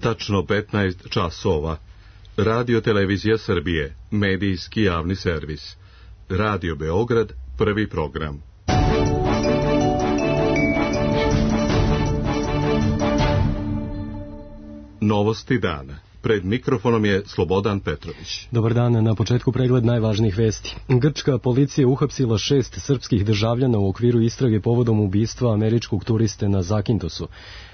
Tačno 15 časova. Radio Televizija Srbije, medijski javni servis. Radio Beograd, prvi program. Novosti dana. Pred mikrofonom je Slobodan Petrović. Dobar dan, na početku pregled najvažnijih vesti. Grčka policija uhapsila 6 srpskih državljana u okviru istrage povodom ubistva američkog turiste na Zakintosu.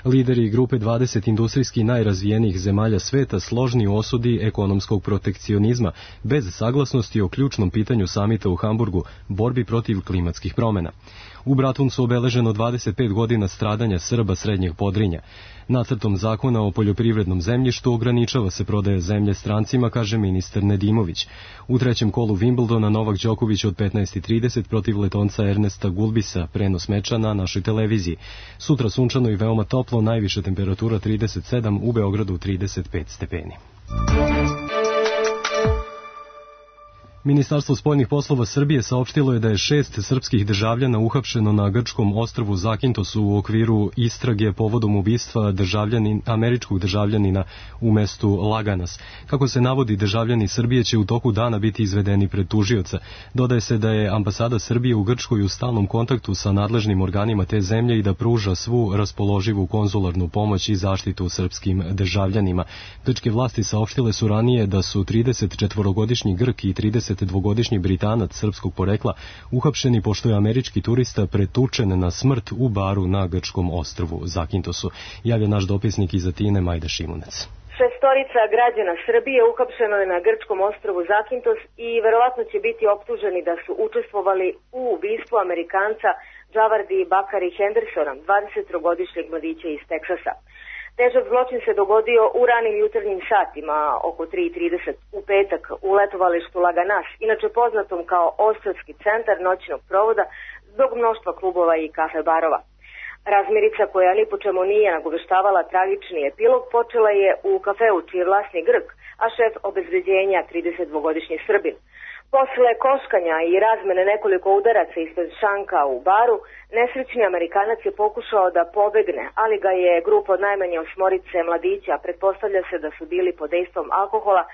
Lideri grupe 20 industrijski najrazvijenijih zemalja sveta složni u osudi ekonomskog protekcionizma, bez saglasnosti o ključnom pitanju samita u Hamburgu, borbi protiv klimatskih promjena. U Bratuncu obeleženo 25 godina stradanja Srba srednjeg Podrinja. Nacrtom zakona o poljoprivrednom zemljištu ograničava se prodaja zemlje strancima, kaže ministar Nedimović. U trećem kolu Wimbledona Novak Đoković od 15:30 protiv Letonca Ernesta Gulbisa, prenos meča na našoj televiziji. Sutra sunčano i veoma toplo, najviša temperatura 37, u Beogradu 35 stepeni. Ministarstvo spoljnih poslova Srbije saopštilo je da je 6 srpskih državljana uhapšeno na grčkom ostrvu Zakintosu u okviru istrage povodom ubistva američkog državljanina u mestu Laganas. Kako se navodi, državljani Srbije će u toku dana biti izvedeni pred tužioca. Dodaje se da je ambasada Srbije u Grčkoj u stalnom kontaktu sa nadležnim organima te zemlje i da pruža svu raspoloživu konzularnu pomoć i zaštitu srpskim državljanima. Grčke vlasti saopštile su ranije da su 34-godišnji Grk i 32-godišnji Britanac srpskog porekla uhapšeni pošto je američki turista pretučen na smrt u baru na grčkom ostrvu Zakintosu. Javlja naš dopisnik iz Atine Majda Šimunec. 6 građana Srbije uhapšeno je na grčkom ostrvu Zakintos i verovatno će biti optuženi da su učestvovali u ubistvu Amerikanca Džavardi Bakari Hendersona, 23-godišnjeg mladića iz Teksasa. Težak zločin se dogodio u ranim jutarnjim satima, oko 3:30 u petak, u letovalištu Laganas, inače poznatom kao ostrvski centar noćnog provoda zbog mnoštva klubova i kafe barova. Razmirica koja ni po čemu nije nagoveštavala tragični epilog počela je u kafeu čiji je vlasnik Grk, a šef obezbeđenja 32-godišnji Srbin. Posle koškanja i razmene nekoliko udaraca ispred šanka u baru, nesrećni Amerikanac je pokušao da pobegne, ali ga je grupa od najmanje 8 mladića, pretpostavlja se da su bili pod dejstvom alkohola,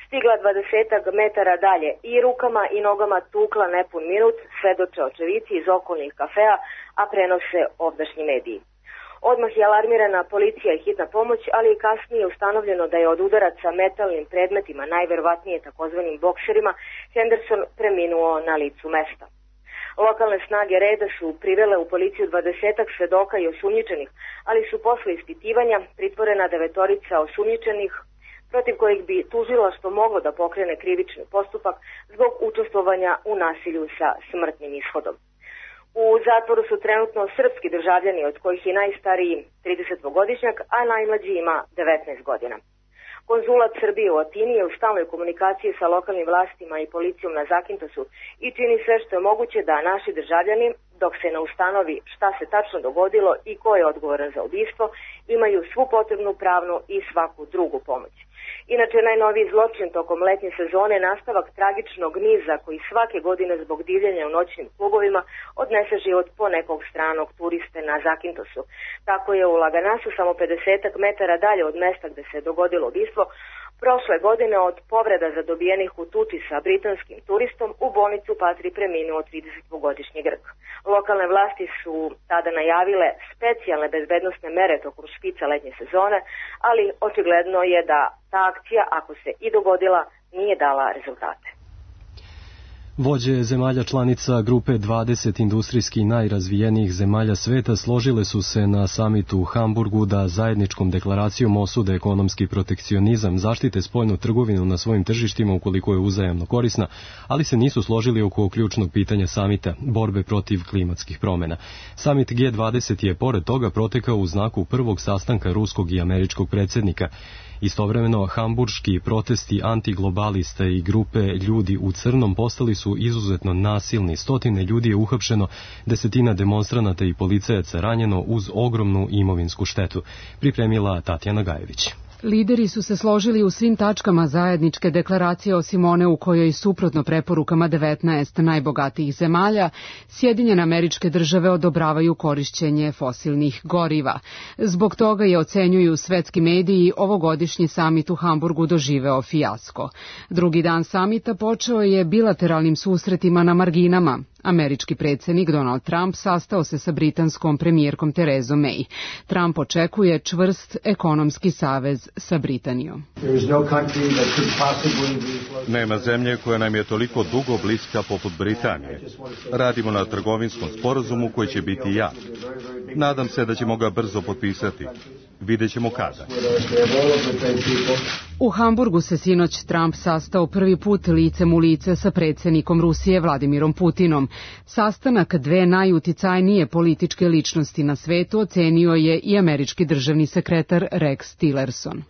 stigla 20 metara dalje i rukama i nogama tukla nepun minut, svedoče očevici iz okolnih kafea, a prenose ovdašnji mediji. Odmah je alarmirana policija i hitna pomoć, ali i kasnije ustanovljeno da je od udaraca metalnim predmetima, najverovatnije takozvanim bokserima, Henderson preminuo na licu mesta. Lokalne snage reda su privele u policiju 20 svedoka i osumnjičenih, ali su posle ispitivanja pritvorena 9 osumnjičenih, protiv kojih bi tužilaštvo moglo da pokrene krivični postupak zbog učestvovanja u nasilju sa smrtnim ishodom. U zatvoru su trenutno srpski državljani, od kojih je najstariji 32-godišnjak, a najmlađi ima 19 godina. Konzulat Srbije u Atini je u stalnoj komunikaciji sa lokalnim vlastima i policijom na Zakintosu i čini sve što je moguće da naši državljani, dok se ne ustanovi šta se tačno dogodilo i ko je odgovoran za ubistvo, imaju svu potrebnu pravnu i svaku drugu pomoć. Inače, najnoviji zločin tokom letnje sezone je nastavak tragičnog niza koji svake godine zbog divljenja u noćnim klubovima odnese život po nekog stranog turiste na Zakintosu. Tako je u Laganasu, samo 50 metara dalje od mesta gde se dogodilo ubistvo, prošle godine od povreda zadobijenih u tuči sa britanskim turistom u bolnicu Patri preminuo 32-godišnji Grk. Lokalne vlasti su tada najavile specijalne bezbednosne mere tokom špica letnje sezone, ali očigledno je da ta akcija, ako se i dogodila, nije dala rezultate. Vođe zemalja članica grupe 20 industrijski najrazvijenijih zemalja sveta složile su se na samitu u Hamburgu da zajedničkom deklaracijom osude ekonomski protekcionizam, zaštite spoljnu trgovinu na svojim tržištima ukoliko je uzajamno korisna, ali se nisu složili oko ključnog pitanja samita, borbe protiv klimatskih promjena. Samit G20 je pored toga protekao u znaku prvog sastanka ruskog i američkog predsjednika. Istovremeno, hamburški protesti antiglobalista i grupe ljudi u crnom postali su izuzetno nasilni. Stotine ljudi je uhapšeno, desetina demonstranata i policajaca ranjeno uz ogromnu imovinsku štetu, pripremila Tatjana Gajević. Lideri su se složili u svim tačkama zajedničke deklaracije osim one u kojoj suprotno preporukama 19 najbogatijih zemalja Sjedinjene Američke Države odobravaju korišćenje fosilnih goriva. Zbog toga je, ocenjuju svetski mediji, ovogodišnji samit u Hamburgu doživeo fijasko. Drugi dan samita počeo je bilateralnim susretima na marginama. Američki predsjednik Donald Trump sastao se sa britanskom premijerkom Terezom May. Trump očekuje čvrst ekonomski savez sa Britanijom. Nema zemlje koja nam je toliko dugo bliska poput Britanije. Radimo na trgovinskom sporazumu koji će biti jak. Nadam se da ćemo ga brzo potpisati. Vidjet ćemo kada. U Hamburgu se sinoć Trump sastao prvi put licem u lice sa predsjednikom Rusije Vladimirom Putinom. Sastanak dve najuticajnije političke ličnosti na svetu ocenio je i američki državni sekretar Rex Tillerson.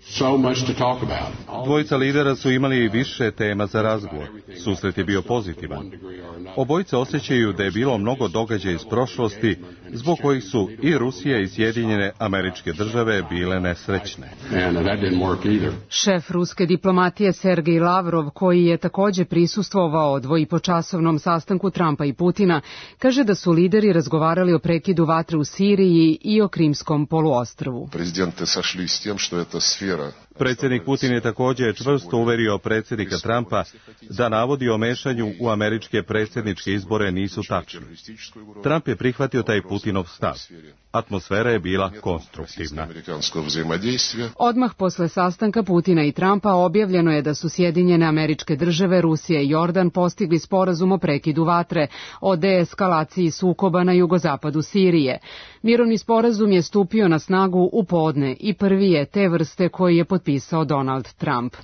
Dvojica lidera su imali više tema za razgovor. Susret je bio pozitivan. Obojice osjećaju da je bilo mnogo događaja iz prošlosti zbog kojih su i Rusija i Sjedinjene Američke Države bile nesrećne. Šef ruske diplomatije Sergej Lavrov, koji je također prisustvovao dvoipočasovnom sastanku Trumpa i Putina, kaže da su lideri razgovarali o prekidu vatre u Siriji i o Krimskom poluostrvu. Predsjednik Putin je također čvrsto uverio predsjednika Trumpa da navodi o mešanju u američke predsjedničke izbore nisu tačni. Trump je prihvatio taj Putinov stav. Atmosfera je bila konstruktivna. Odmah posle sastanka Putina i Trumpa objavljeno je da su Sjedinjene Američke Države, Rusija i Jordan postigli sporazum o prekidu vatre, o deeskalaciji sukoba na jugozapadu Sirije. Mirovni sporazum je stupio na snagu u podne i prvi je te vrste koji je potpisao Donald Trump.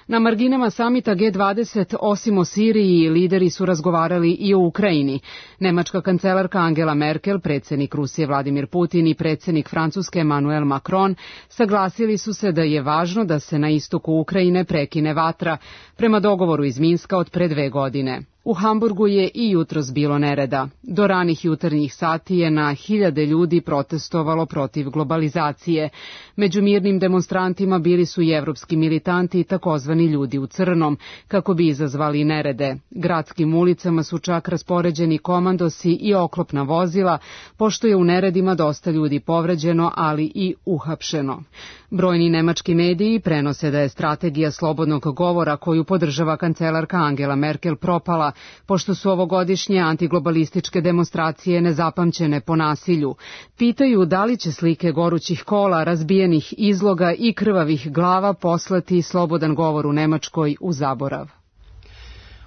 Na marginama samita G20, osim o Siriji, lideri su razgovarali i o Ukrajini. Nemačka kancelarka Angela Merkel, predsjednik Rusije Vladimir Putin i predsjednik Francuske Emmanuel Macron saglasili su se da je važno da se na istoku Ukrajine prekine vatra, prema dogovoru iz Minska od pre 2 godine. U Hamburgu je i jutros bilo nereda. Do ranih jutarnjih sati je na hiljade ljudi protestovalo protiv globalizacije. Među mirnim demonstrantima bili su i evropski militanti i takozvani ljudi u crnom, kako bi izazvali nerede. Gradskim ulicama su čak raspoređeni komandosi i oklopna vozila, pošto je u neredima dosta ljudi povređeno, ali i uhapšeno. Brojni nemački mediji prenose da je strategija slobodnog govora koju podržava kancelarka Angela Merkel propala, pošto su ovogodišnje antiglobalističke demonstracije nezapamćene po nasilju. Pitaju da li će slike gorućih kola, razbijenih izloga i krvavih glava poslati slobodan govor u Nemačkoj u zaborav.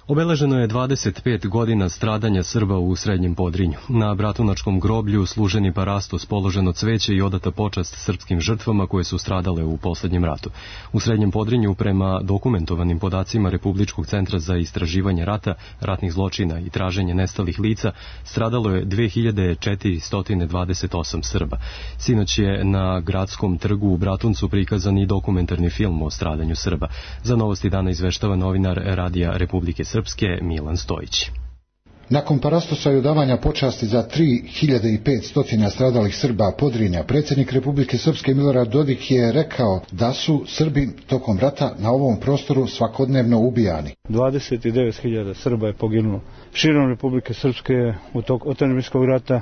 Obeleženo je 25 godina stradanja Srba u Srednjem Podrinju. Na Bratunačkom groblju služen je parastos, položeno cveće i odata počast srpskim žrtvama koje su stradale u posljednjem ratu. U Srednjem Podrinju, prema dokumentovanim podacima Republičkog centra za istraživanje rata, ratnih zločina i traženje nestalih lica, stradalo je 2428 Srba. Sinoć je na Gradskom trgu u Bratuncu prikazan i dokumentarni film o stradanju Srba. Za Novosti dana izveštava novinar Radija Republike Srpske Milan Stojić. Nakon parastosa i odavanja počasti za 3500 stradalih Srba Podrinja, predsjednik Republike Srpske Milorad Dodik je rekao da su Srbi tokom rata na ovom prostoru svakodnevno ubijani. 29.000 Srba je poginulo širom Republike Srpske u toku otadžbinskog rata.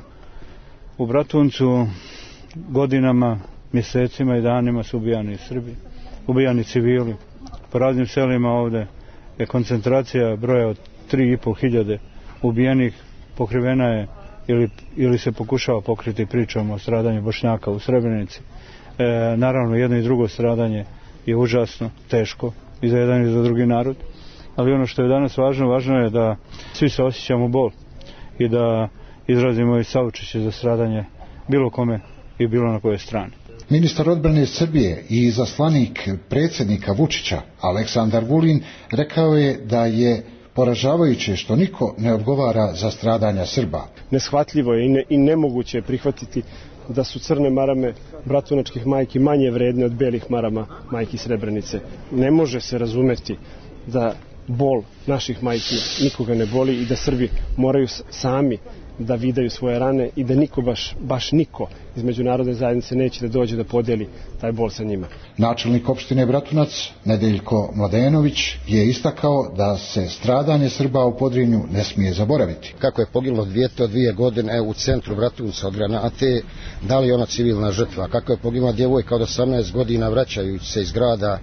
U Bratuncu godinama, mjesecima i danima su ubijani Srbi, ubijani civili. Po raznim selima ovdje je koncentracija broja od 3.500 ubijenih, pokrivena je ili se pokušava pokriti pričom o stradanju Bošnjaka u Srebrenici. Naravno, jedno i drugo stradanje je užasno, teško i za jedan i za drugi narod, ali ono što je danas važno je da svi se osjećamo bol i da izrazimo i saučešće za stradanje bilo kome i bilo na kojoj strani. Ministar odbrane Srbije i izaslanik predsjednika Vučića, Aleksandar Vulin, rekao je da je poražavajuće što niko ne odgovara za stradanja Srba. Neshvatljivo je i nemoguće je prihvatiti da su crne marame bratunačkih majki manje vredne od belih marama majki Srebrenice. Ne može se razumeti da bol naših majki nikoga ne boli i da Srbi moraju sami da vidaju svoje rane i da niko, baš niko iz međunarodne zajednice neće da dođe da podeli taj bol sa njima. Načelnik opštine Bratunac, Nedeljko Mladenović, je istakao da se stradanje Srba u Podrinju ne smije zaboraviti. Kako je poginulo dijete od 2 godine u centru Bratunca od granate, da li je ona civilna žrtva? Kako je poginula djevojka od 18 godina vraćajući se iz grada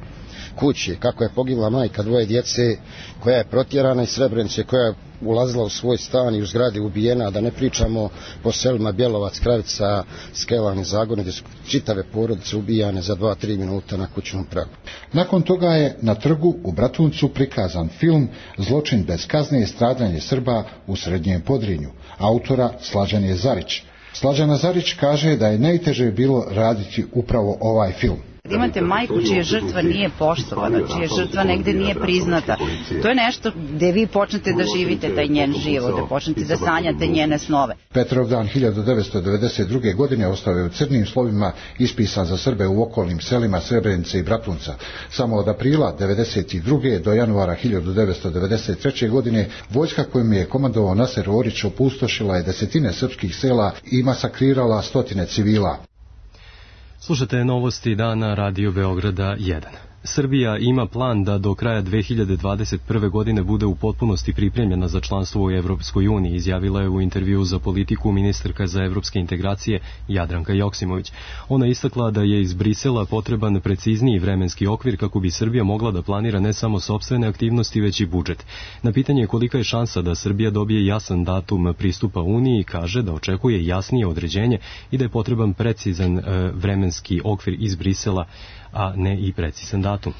kući? Kako je poginula majka 2 djece koja je protjerana iz Srebrenice, koja je ulazila u svoj stan i u zgradi ubijena, da ne pričamo po selima Bjelovac, Kravica, Skelan i Zagorje, gdje su čitave porodice ubijane za 2-3 minuta na kućnom pragu. Nakon toga je na trgu u Bratuncu prikazan film Zločin bez kazne i stradanje Srba u Srednjem Podrinju, autora Slađan Zarić. Slađana Zarić kaže da je najteže bilo raditi upravo ovaj film. Imate majku čija žrtva nije poštovana, čija žrtva negde nije priznata. To je nešto gde vi počnete da živite taj njen život, da počnete da sanjate njene snove. Petrovdan 1992. godine ostao je u crnim slovima ispisan za Srbe u okolnim selima Srebrenice i Bratunca. Samo od aprila 1992. do januara 1993. godine vojska kojom je komandovao Naser Orić opustošila je desetine srpskih sela i masakrirala stotine civila. Slušate novosti dana Radio Beograda 1. Srbija ima plan da do kraja 2021. godine bude u potpunosti pripremljena za članstvo u Evropskoj uniji, izjavila je u intervjuu za Politiku ministarka za evropske integracije Jadranka Joksimović. Ona istakla da je iz Brisela potreban precizniji vremenski okvir kako bi Srbija mogla da planira ne samo sopstvene aktivnosti, već i budžet. Na pitanje kolika je šansa da Srbija dobije jasan datum pristupa Uniji, kaže da očekuje jasnije određenje i da je potreban precizan vremenski okvir iz Brisela, a ne i precizan datum.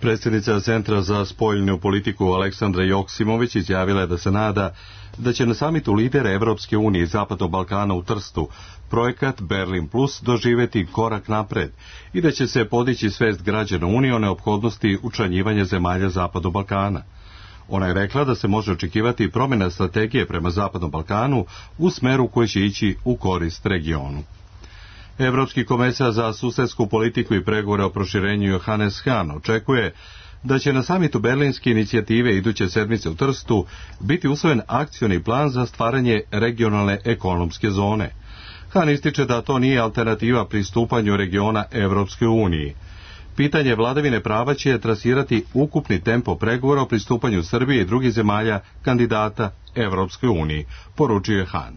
Predsjednica Centra za spoljnu politiku Aleksandra Joksimović izjavila je da se nada da će na samitu lidera Evropske unije i Zapadnog Balkana u Trstu projekat Berlin Plus doživjeti korak napred i da će se podići svest građana Unije o neophodnosti učlanjivanja zemalja Zapadnog Balkana. Ona je rekla da se može očekivati promjena strategije prema Zapadnom Balkanu u smeru koji će ići u korist regionu. Evropski komesar za susedsku politiku i pregovore o proširenju Johannes Hahn očekuje da će na samitu Berlinske inicijative iduće sedmice u Trstu biti usvojen akcioni plan za stvaranje regionalne ekonomske zone. Hahn ističe da to nije alternativa pristupanju regiona Evropskoj uniji. Pitanje vladavine prava će trasirati ukupni tempo pregovora o pristupanju Srbije i drugih zemalja kandidata Evropskoj uniji, poručuje Hahn.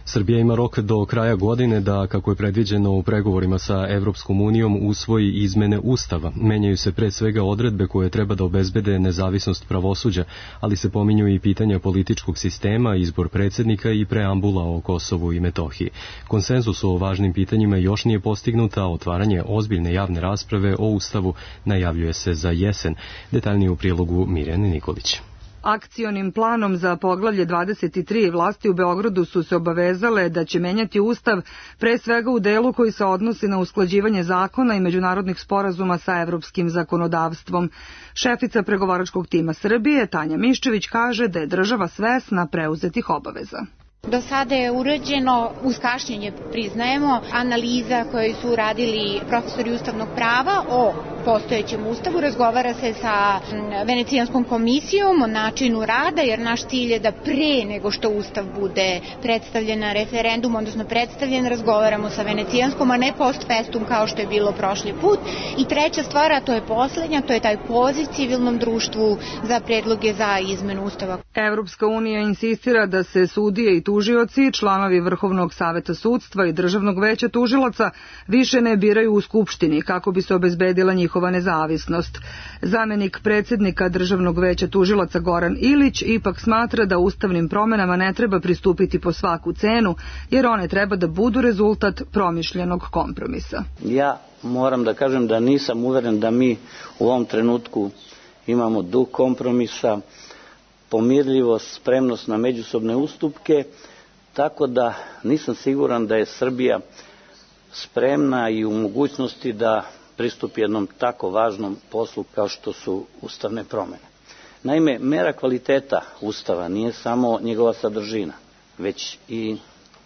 Srbija ima rok do kraja godine da, kako je predviđeno u pregovorima sa Evropskom unijom, usvoji izmene Ustava. Menjaju se pre svega odredbe koje treba da obezbede nezavisnost pravosuđa, ali se pominju i pitanja političkog sistema, izbor predsjednika i preambula o Kosovu i Metohiji. Konsenzus o važnim pitanjima još nije postignut, a otvaranje ozbiljne javne rasprave o Ustavu najavljuje se za jesen. Detaljnije u prilogu Mirjane Nikolić. Akcionim planom za poglavlje 23 vlasti u Beogradu su se obavezale da će menjati Ustav pre svega u delu koji se odnosi na usklađivanje zakona i međunarodnih sporazuma sa evropskim zakonodavstvom. Šefica pregovaračkog tima Srbije, Tanja Miščević, kaže da je država svesna preuzetih obaveza. Do sada je urađeno, uz kašnjenje priznajemo, analiza koju su uradili profesori ustavnog prava o postojećem ustavu. Razgovara se sa Venecijanskom komisijom o načinu rada, jer naš cilj je da pre nego što ustav bude predstavljen na referendum, odnosno predstavljen, razgovaramo sa Venecijanskom, a ne post festum kao što je bilo prošli put. I treća stvar, a to je poslednja, to je taj poziv civilnom društvu za predloge za izmenu ustava. Evropska unija insistira da se sudije i tužioci, članovi Vrhovnog saveta sudstva i Državnog veća tužilaca više ne biraju u Skupštini kako bi se obezbedila njihova nezavisnost. Zamenik predsjednika Državnog veća tužilaca Goran Ilić ipak smatra da ustavnim promjenama ne treba pristupiti po svaku cenu, jer one treba da budu rezultat promišljenog kompromisa. Ja moram da kažem da nisam uveren da mi u ovom trenutku imamo duh kompromisa, pomirljivost, spremnost na međusobne ustupke, tako da nisam siguran da je Srbija spremna i u mogućnosti da pristupi jednom tako važnom poslu kao što su ustavne promjene. Naime, mera kvaliteta Ustava nije samo njegova sadržina, već i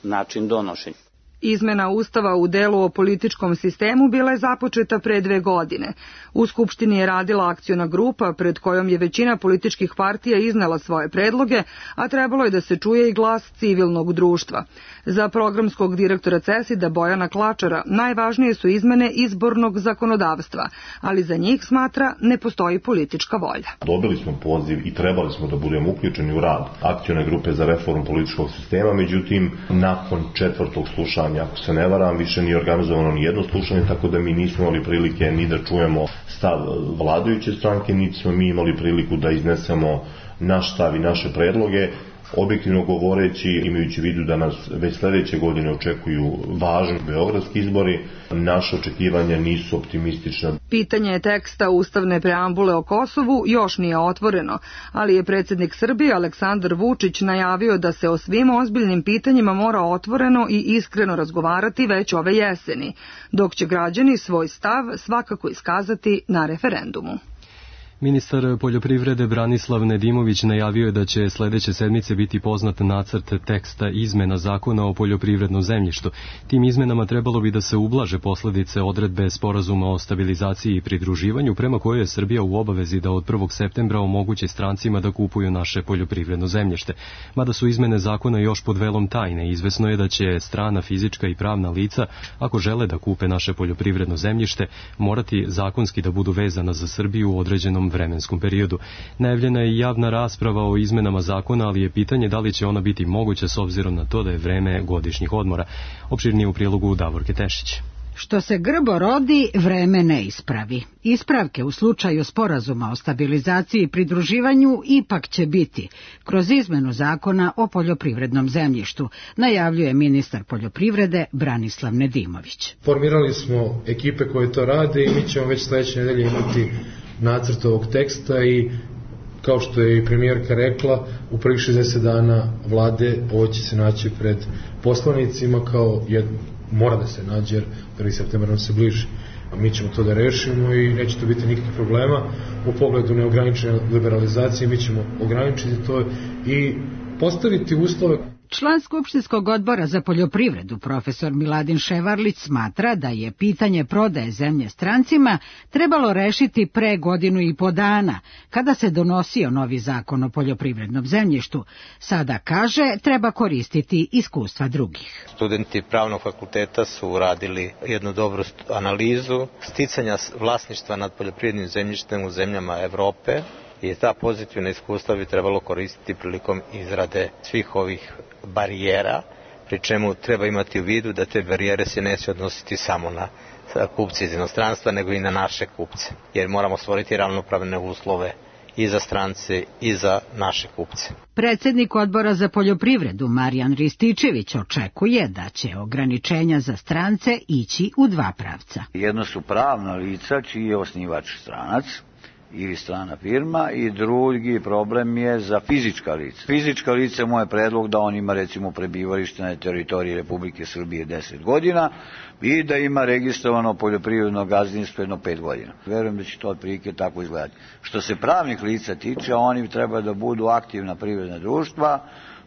način donošenja. Izmena Ustava u delu o političkom sistemu bila je započeta pre 2 godine. U Skupštini je radila akciona grupa pred kojom je većina političkih partija iznela svoje predloge, a trebalo je da se čuje i glas civilnog društva. Za programskog direktora CESID-a Bojana Klačara najvažnije su izmene izbornog zakonodavstva, ali za njih, smatra, ne postoji politička volja. Dobili smo poziv i trebali smo da budemo uključeni u rad akcione grupe za reformu političkog sistema, međutim, nakon 4. slušanja, ako se ne varam, više nije organizovano ni jedno slušanje, tako da mi nismo imali prilike ni da čujemo stav vladajuće stranke, niti smo mi imali priliku da iznesemo naš stav i naše predloge. Objektivno govoreći, imajući vidu da nas već sljedeće godine očekuju važni beogradski izbori, naše očekivanja nisu optimistična. Pitanje teksta ustavne preambule o Kosovu još nije otvoreno, ali je predsjednik Srbije Aleksandar Vučić najavio da se o svim ozbiljnim pitanjima mora otvoreno i iskreno razgovarati već ove jeseni, dok će građani svoj stav svakako iskazati na referendumu. Ministar poljoprivrede Branislav Nedimović najavio je da će sljedeće sedmice biti poznat nacrt teksta izmena zakona o poljoprivrednom zemljištu. Tim izmenama trebalo bi da se ublaže posljedice odredbe sporazuma o stabilizaciji i pridruživanju, prema kojoj je Srbija u obavezi da od 1. septembra omogući strancima da kupuju naše poljoprivredno zemljište. Mada su izmene zakona još pod velom tajne, izvesno je da će strana fizička i pravna lica, ako žele da kupe naše poljoprivredno zemljište, morati zakonski da budu vezana za Srbiju u određenom vremenskom periodu. Najavljena je javna rasprava o izmenama zakona, ali je pitanje da li će ona biti moguća s obzirom na to da je vreme godišnjih odmora. Opširnije u prilogu Davorke Tešić. Što se grbo rodi, vreme ne ispravi. Ispravke u slučaju sporazuma o stabilizaciji i pridruživanju ipak će biti kroz izmenu zakona o poljoprivrednom zemljištu, najavljuje ministar poljoprivrede Branislav Nedimović. Formirali smo ekipe koje to rade i mi ćemo već sljedeće nedelje imati nacrt ovog teksta i kao što je i premijerka rekla, u prvih 60 dana vlade ovo će se naći pred poslanicima kao mora da se nađe jer 1. septembar nam se bliži. A mi ćemo to da rešimo i neće to biti nikakvih problema. U pogledu neograničene liberalizacije mi ćemo ograničiti to i postaviti uslove. Član Skupštinskog odbora za poljoprivredu, profesor Miladin Ševarlić, smatra da je pitanje prodaje zemlje strancima trebalo rešiti pre 1.5 godina, kada se donosio novi zakon o poljoprivrednom zemljištu. Sada kaže, treba koristiti iskustva drugih. Studenti pravnog fakulteta su uradili jednu dobru analizu sticanja vlasništva nad poljoprivrednim zemljištem u zemljama Evrope. I ta pozitivna iskustva bi trebalo koristiti prilikom izrade svih ovih barijera, pri čemu treba imati u vidu da te barijere se neće odnositi samo na kupce iz inostranstva, nego i na naše kupce, jer moramo stvoriti ravnopravne uslove i za strance i za naše kupce. Predsjednik odbora za poljoprivredu Marijan Rističević očekuje da će ograničenja za strance ići u 2 pravca. Jedno su pravna lica čiji je osnivač stranac ili strana firma i drugi problem je za fizička lica. Fizička lica, moj predlog da on ima recimo prebivalište na teritoriji Republike Srbije 10 godina i da ima registrovano poljoprivredno gazdinstvo jedno 5 godina. Verujem da će to otprilike tako izgledati. Što se pravnih lica tiče, oni treba da budu aktivna privredna društva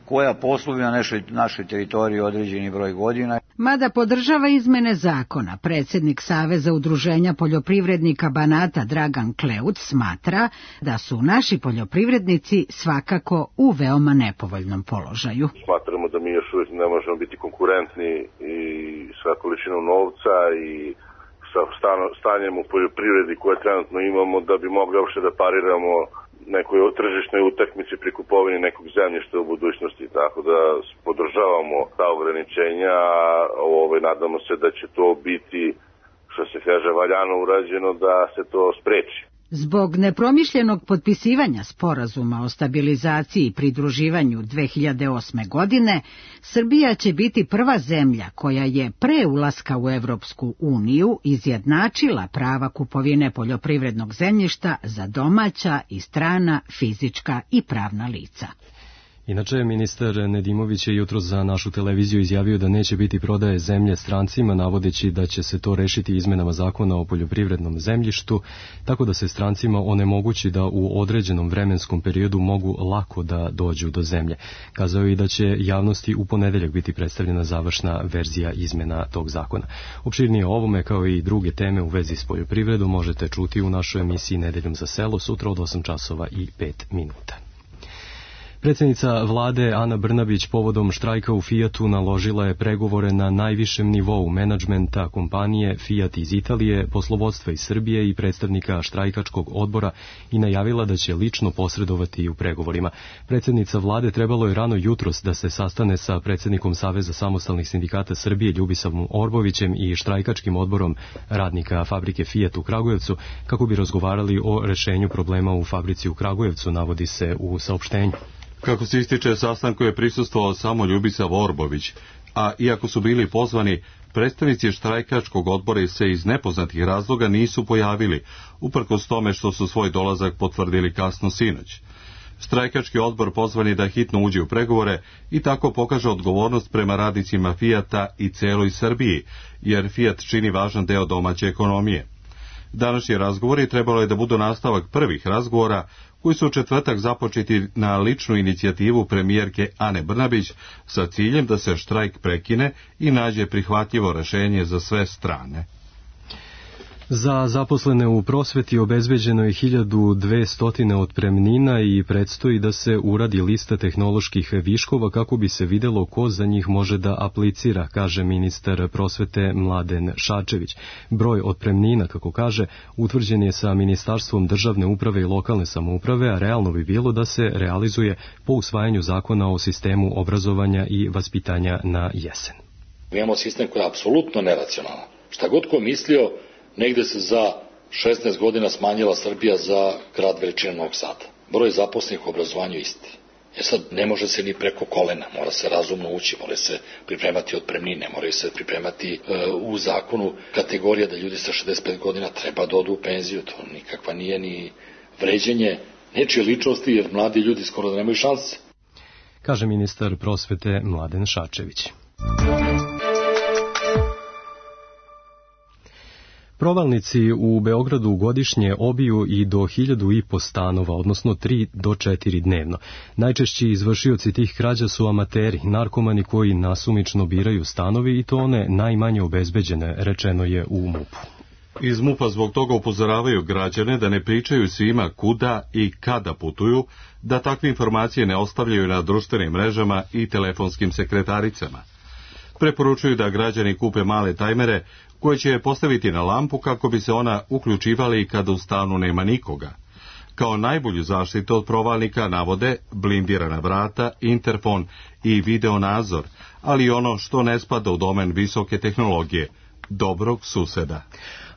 koja posluju na našoj teritoriji određeni broj godina. Mada podržava izmene zakona, predsjednik Saveza udruženja poljoprivrednika Banata Dragan Kleut smatra da su naši poljoprivrednici svakako u veoma nepovoljnom položaju. Smatramo da mi još uvijek ne možemo biti konkurentni i sa količinom novca i sa stanjem u poljoprivredi koje trenutno imamo da bi mogli uopšte da pariramo nekoj tržišnoj utakmici pri kupovini nekog zemljišta u budućnosti, tako da podržavamo ta ograničenja, nadamo se da će to biti, što se kaže, valjano urađeno da se to spreči. Zbog nepromišljenog potpisivanja sporazuma o stabilizaciji i pridruživanju 2008. godine, Srbija će biti prva zemlja koja je pre ulaska u Evropsku uniju izjednačila prava kupovine poljoprivrednog zemljišta za domaća i strana fizička i pravna lica. Inače, ministar Nedimović je jutros za našu televiziju izjavio da neće biti prodaje zemlje strancima, navodeći da će se to rešiti izmenama zakona o poljoprivrednom zemljištu, tako da se strancima onemogući da u određenom vremenskom periodu mogu lako da dođu do zemlje. Kazao je i da će javnosti u ponedeljak biti predstavljena završna verzija izmena tog zakona. Opširnije o ovome, kao i druge teme u vezi s poljoprivredom, možete čuti u našoj emisiji Nedeljom za selo sutra od 8 časova i 5 minuta. Predsjednica vlade Ana Brnabić povodom štrajka u Fijatu naložila je pregovore na najvišem nivou menadžmenta kompanije Fiat iz Italije, poslovodstva iz Srbije i predstavnika štrajkačkog odbora i najavila da će lično posredovati u pregovorima. Predsjednica vlade trebalo je rano jutros da se sastane sa predsjednikom Saveza samostalnih sindikata Srbije Ljubisavom Orbovićem i štrajkačkim odborom radnika fabrike Fiat u Kragujevcu kako bi razgovarali o rešenju problema u fabrici u Kragujevcu, navodi se u saopštenju. Kako se ističe, sastanku je prisustvovao samo Ljubisav Orbović, a iako su bili pozvani, predstavnici štrajkačkog odbora se iz nepoznatih razloga nisu pojavili, uprkos tome što su svoj dolazak potvrdili kasno sinoć. Štrajkački odbor pozvan je da hitno uđe u pregovore i tako pokaže odgovornost prema radnicima Fijata i celoj Srbiji, jer Fijat čini važan deo domaće ekonomije. Današnji razgovori trebalo je da budu nastavak prvih razgovora koji su u četvrtak započeti na ličnu inicijativu premijerke Ane Brnabić sa ciljem da se štrajk prekine i nađe prihvatljivo rešenje za sve strane. Za zaposlene u prosveti obezbeđeno je 1200 otpremnina i predstoji da se uradi lista tehnoloških viškova kako bi se videlo ko za njih može da aplicira, kaže ministar prosvete Mladen Šarčević. Broj otpremnina, kako kaže, utvrđen je sa Ministarstvom državne uprave i lokalne samouprave, a realno bi bilo da se realizuje po usvajanju zakona o sistemu obrazovanja i vaspitanja na jesen. Mi imamo sistem koji je apsolutno neracionalan. Šta god ko mislio, negde se za 16 godina smanjila Srbija za grad veličine Novog Sada. Broj zaposlenih u obrazovanju isti. Sad, ne može se ni preko kolena, mora se razumno ući, mora se pripremati otpremnine, moraju se pripremati u zakonu kategorija da ljudi sa 65 godina treba da odu u penziju. To nikakva nije ni vređenje nečije ličnosti, jer mladi ljudi skoro da nemaju šanse. Kaže ministar prosvete Mladen Šarčević. Provalnici u Beogradu godišnje obiju i do 1500 stanova, odnosno 3 do 4 dnevno. Najčešći izvršioci tih krađa su amateri, narkomani koji nasumično biraju stanovi i to one najmanje obezbeđene, rečeno je u MUP-u. Iz MUP-a zbog toga upozoravaju građane da ne pričaju svima kuda i kada putuju, da takve informacije ne ostavljaju na društvenim mrežama i telefonskim sekretaricama. Preporučuju da građani kupe male tajmere koje će postaviti na lampu kako bi se ona uključivali kada u stanu nema nikoga. Kao najbolju zaštitu od provalnika navode blindirana vrata, interfon i video nadzor, ali ono što ne spada u domen visoke tehnologije, dobrog suseda.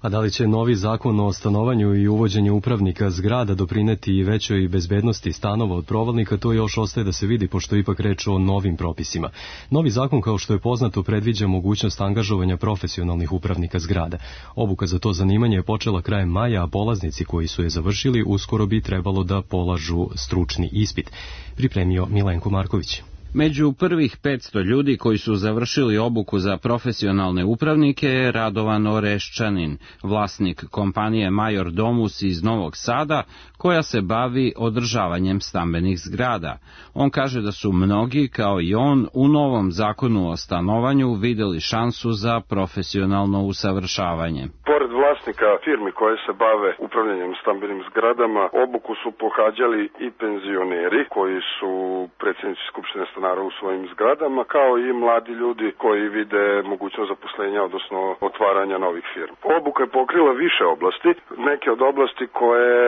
A da li će novi zakon o stanovanju i uvođenju upravnika zgrada doprineti i većoj bezbednosti stanova od provalnika, to još ostaje da se vidi, pošto ipak reč o novim propisima. Novi zakon, kao što je poznato, predviđa mogućnost angažovanja profesionalnih upravnika zgrada. Obuka za to zanimanje je počela krajem maja, a polaznici koji su je završili uskoro bi trebalo da polažu stručni ispit. Pripremio Milenko Marković. Među prvih 500 ljudi koji su završili obuku za profesionalne upravnike je Radovan Oreščanin, vlasnik kompanije Major Domus iz Novog Sada, koja se bavi održavanjem stambenih zgrada. On kaže da su mnogi, kao i on, u novom zakonu o stanovanju videli šansu za profesionalno usavršavanje. Pored vlasnika firmi koje se bave upravljanjem stambenim zgradama, obuku su pohađali i penzioneri koji su predsjednici Skupštine stanara u svojim zgradama, kao i mladi ljudi koji vide mogućnost zaposlenja, odnosno otvaranja novih firmi. Obuka je pokrila više oblasti, neke od oblasti koje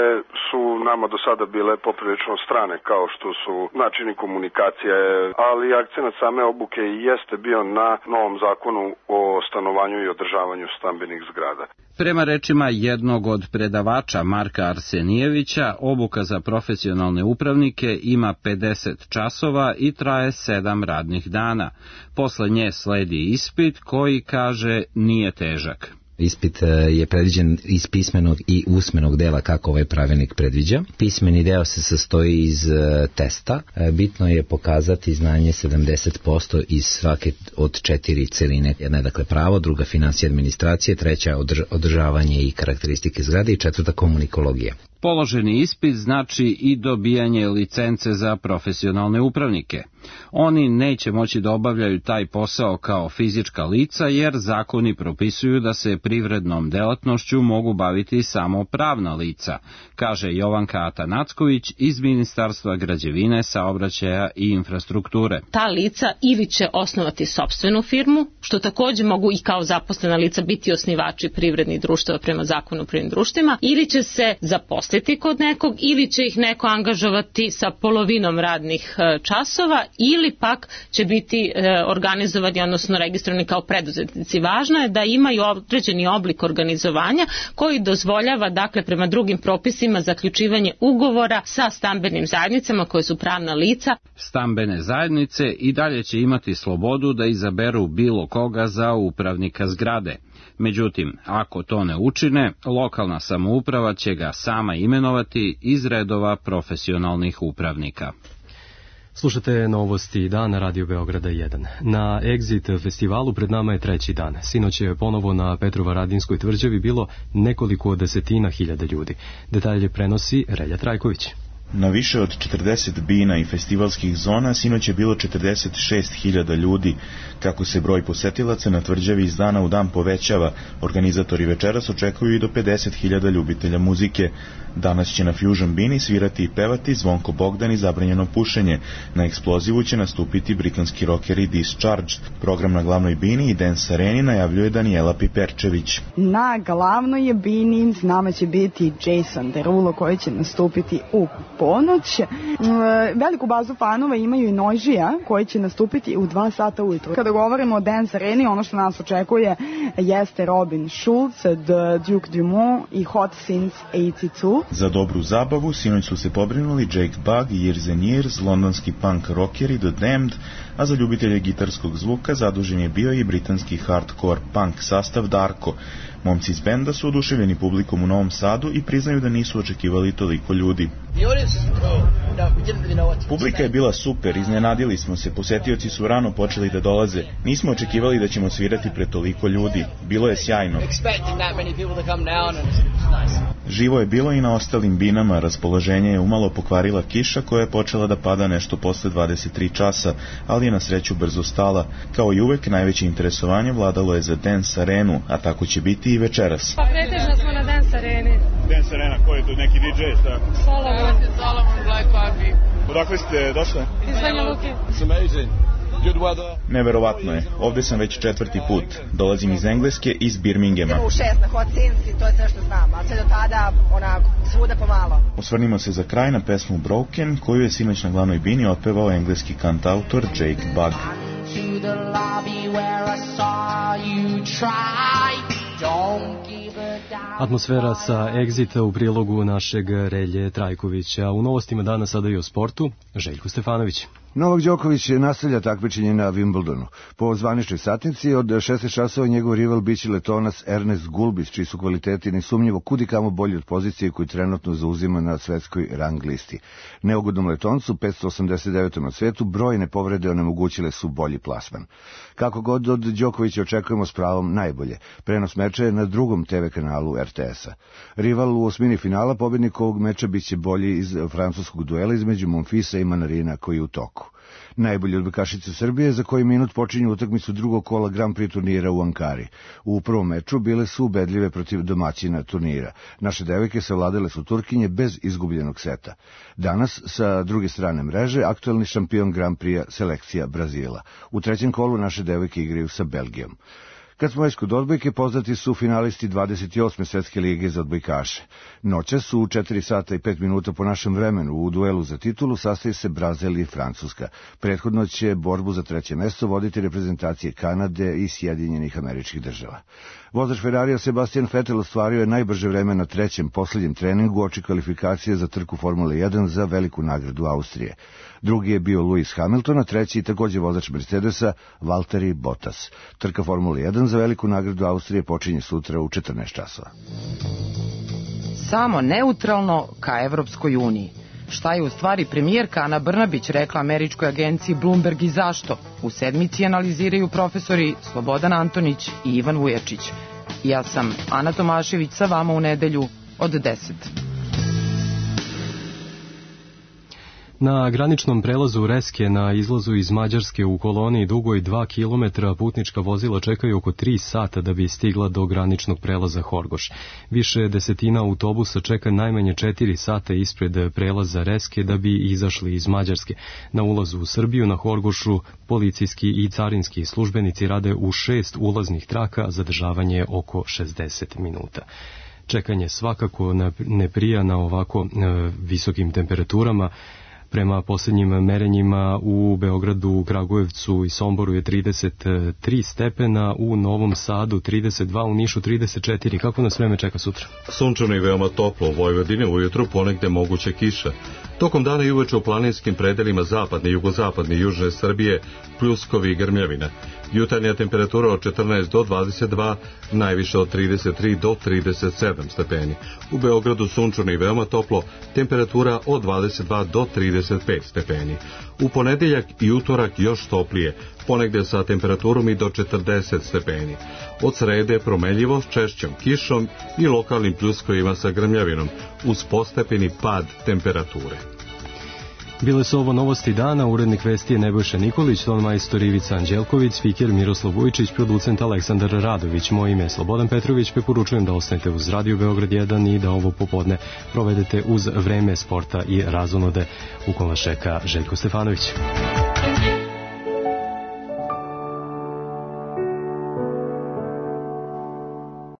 su nama do sada bile poprilično strane, kao što su načini komunikacije, ali akcenat same obuke jeste bio na novom zakonu o stanovanju i održavanju stambenih zgrada. Prema rečima jednog od predavača Marka Arsenijevića, obuka za profesionalne upravnike ima 50 časova i traje 7 radnih dana. Posle nje sledi ispit koji, kaže, nije težak. Ispit je predviđen iz pismenog i usmenog dela kako ovaj pravilnik predviđa. Pismeni deo se sastoji iz testa. Bitno je pokazati znanje 70% iz svake od 4 celine. Jedna je dakle pravo, druga finansija administracije, treća održavanje i karakteristike zgrade i četvrta komunikologija. Položeni ispit znači i dobijanje licence za profesionalne upravnike. Oni neće moći da obavljaju taj posao kao fizička lica jer zakoni propisuju da se privrednom delatnošću mogu baviti samo pravna lica, kaže Jovanka Atanacković iz Ministarstva građevine, saobraćaja i infrastrukture. Ta lica ili će osnovati sopstvenu firmu, što također mogu i kao zaposlena lica biti osnivači privrednih društava prema zakonu o privrednim društvima, ili će se zaposliti kod nekog, ili će ih neko angažovati sa polovinom radnih časova, ili pak će biti organizovani, odnosno registrovani kao preduzetnici. Važno je da imaju određeni oblik organizovanja koji dozvoljava, dakle, prema drugim propisima zaključivanje ugovora sa stambenim zajednicama koje su pravna lica. Stambene zajednice i dalje će imati slobodu da izaberu bilo koga za upravnika zgrade. Međutim, ako to ne učine, lokalna samouprava će ga sama imenovati iz redova profesionalnih upravnika. Slušate novosti dana Radio Beograda 1. Na Exit festivalu pred nama je treći dan. Sinoć je ponovo na Petrovaradinskoj tvrđavi bilo nekoliko desetina hiljada ljudi. Detalje prenosi Relja Trajković. Na više od 40 bina i festivalskih zona sinoć je bilo 46.000 ljudi. Kako se broj posetilaca na tvrđavi iz dana u dan povećava, organizatori večeras očekuju i do 50.000 ljubitelja muzike. Danas će na Fusion bini svirati i pevati Zvonko Bogdan i Zabranjeno pušenje. Na eksplozivu će nastupiti britanski rockeri Discharged. Program na glavnoj bini i Dance Areni najavljuje Danijela Piperčević. Na glavnoj bini s nama će biti Jason Derulo koji će nastupiti u ponoć. Veliku bazu fanova imaju i Nožija koji će nastupiti u 2 sata ujutro. Kada govorimo o Dance Areni, ono što nas očekuje jeste Robin Schulz, The Duke Dumont i Hot Since 82. Za dobru zabavu sinoć su se pobrinuli Jake Bugg, Years and Years, londonski punk rockeri The Damned, a za ljubitelje gitarskog zvuka zadužen je bio i britanski hardcore punk sastav Darko. Momci iz benda su oduševljeni publikom u Novom Sadu i priznaju da nisu očekivali toliko ljudi. Publika je bila super, iznenadili smo se, posetioci su rano počeli da dolaze. Nismo očekivali da ćemo svirati pred toliko ljudi. Bilo je sjajno. Živo je bilo i na ostalim binama, raspoloženje je umalo pokvarila kiša koja je počela da pada nešto posle 23 časa, ali je na sreću brzo stala. Kao i uvek, najveće interesovanje vladalo je za Dance Arenu, a tako će biti i večeras. Pa pretežno smo na Dance Areni. Dance Arena, ko je tu neki DJ, šta? Solomon, Black Barbie. Odakle ste došli? Iz Banja Luke. It's amazing. Neverovatno je. Ovde sam već 4. put. Dolazim iz Engleske, iz Birminghama. U 6 na Hot Since i to je sve što znam, ali sve do tada, onako, svuda pomalo. Osvrnimo se za kraj na pesmu Broken, koju je sinoć na glavnoj bini otpevao engleski kantautor Jake Bugg. Atmosfera sa Exita u prilogu našeg Relje Trajkovića. U novostima dana sada i o sportu. Željko Stefanović. Novak Đoković nastavlja takmičenje na Wimbledonu. Po zvaničnoj satnici od 16 časova njegov rival biće Letonac Ernest Gulbis, čiji su kvaliteti nesumnjivo kudikamo bolji od pozicije koju trenutno zauzima na svetskoj rang listi. Neugodnom Letoncu, 589. na svetu, brojne povrede onemogućile su bolji plasman. Kako god od Đokovića očekujemo s pravom najbolje. Prenos meča je na drugom TV kanalu RTS-a. Rival u osmini finala, pobednik ovog meča biće bolji iz francuskog duela između Monfisa i Manarina koji je u toku. Najbolji odbojkašice Srbije za koji minut počinju utakmicu drugog kola Grand Prix turnira u Ankari. U prvom meču bile su ubedljive protiv domaćina turnira. Naše devojke savladale su Turkinje bez izgubljenog seta. Danas, sa druge strane mreže, aktuelni šampion Grand Prix selekcija Brazila. U trećem kolu naše devojke igraju sa Belgijom. Kad smo već kod odbojke, poznati su finalisti 28. svetske lige za odbojkaše. Noćas su u 4 sata i 5 minuta po našem vremenu u duelu za titulu sastaje se Brazil i Francuska. Prethodno će borbu za treće mesto voditi reprezentacije Kanade i Sjedinjenih Američkih Država. Vozač Ferrarija Sebastian Vettel ostvario je najbrže vreme na trećem, posljednjem treningu oči kvalifikacije za trku Formule 1 za veliku nagradu Austrije. Drugi je bio Lewis Hamilton, a treći takođe vozač Mercedesa Valtteri Bottas. Trka Formule 1 za veliku nagradu Austrije počinje sutra u 14 časova. Samo neutralno ka Evropskoj uniji. Šta je u stvari premijerka Ana Brnabić rekla američkoj agenciji Bloomberg i zašto? U sedmici analiziraju profesori Slobodan Antonić i Ivan Vujačić. Ja sam Ana Tomašević, sa vama u nedelju od 10. Na graničnom prelazu Reske na izlazu iz Mađarske u koloniji dugoj 2 km putnička vozila čekaju oko 3 sata da bi stigla do graničnog prelaza Horgoš. Više desetina autobusa čeka najmanje 4 sata ispred prelaza Reske da bi izašli iz Mađarske. Na ulazu u Srbiju na Horgošu policijski i carinski službenici rade u 6 ulaznih traka, zadržavanje oko 60 minuta. Čekanje svakako ne prija na ovako visokim temperaturama. Prema posljednjim merenjima u Beogradu, Kragujevcu i Somboru je 33 stepena, u Novom Sadu 32, u Nišu 34. Kako nas vreme čeka sutra? Sunčano i veoma toplo, u Vojvodini ujutru ponegde moguće kiša. Tokom dana i uveče u planinskim predelima zapadne, jugozapadne i južne Srbije pljuskovi i grmljavina. Jutarnja temperatura od 14 do 22, najviše od 33 do 37 stepeni. U Beogradu sunčano i veoma toplo, temperatura od 22 do 35 stepeni. U ponedeljak i utorak još toplije, ponegde sa temperaturom i do 40 stepeni. Od srede promenljivo s češćom kišom i lokalnim pljuskovima sa grmljavinom, uz postepeni pad temperature. Bile su ovo novosti dana, urednik vesti je Nebojša Nikolić, ton majstor Ivica Anđelković, spiker Miroslav Vujčić, producent Aleksandar Radović. Moje ime je Slobodan Petrović, preporučujem da ostanete uz Radio Beograd 1 i da ovo popodne provedete uz vreme sporta i razonode u kom vas čeka Željko Stefanović.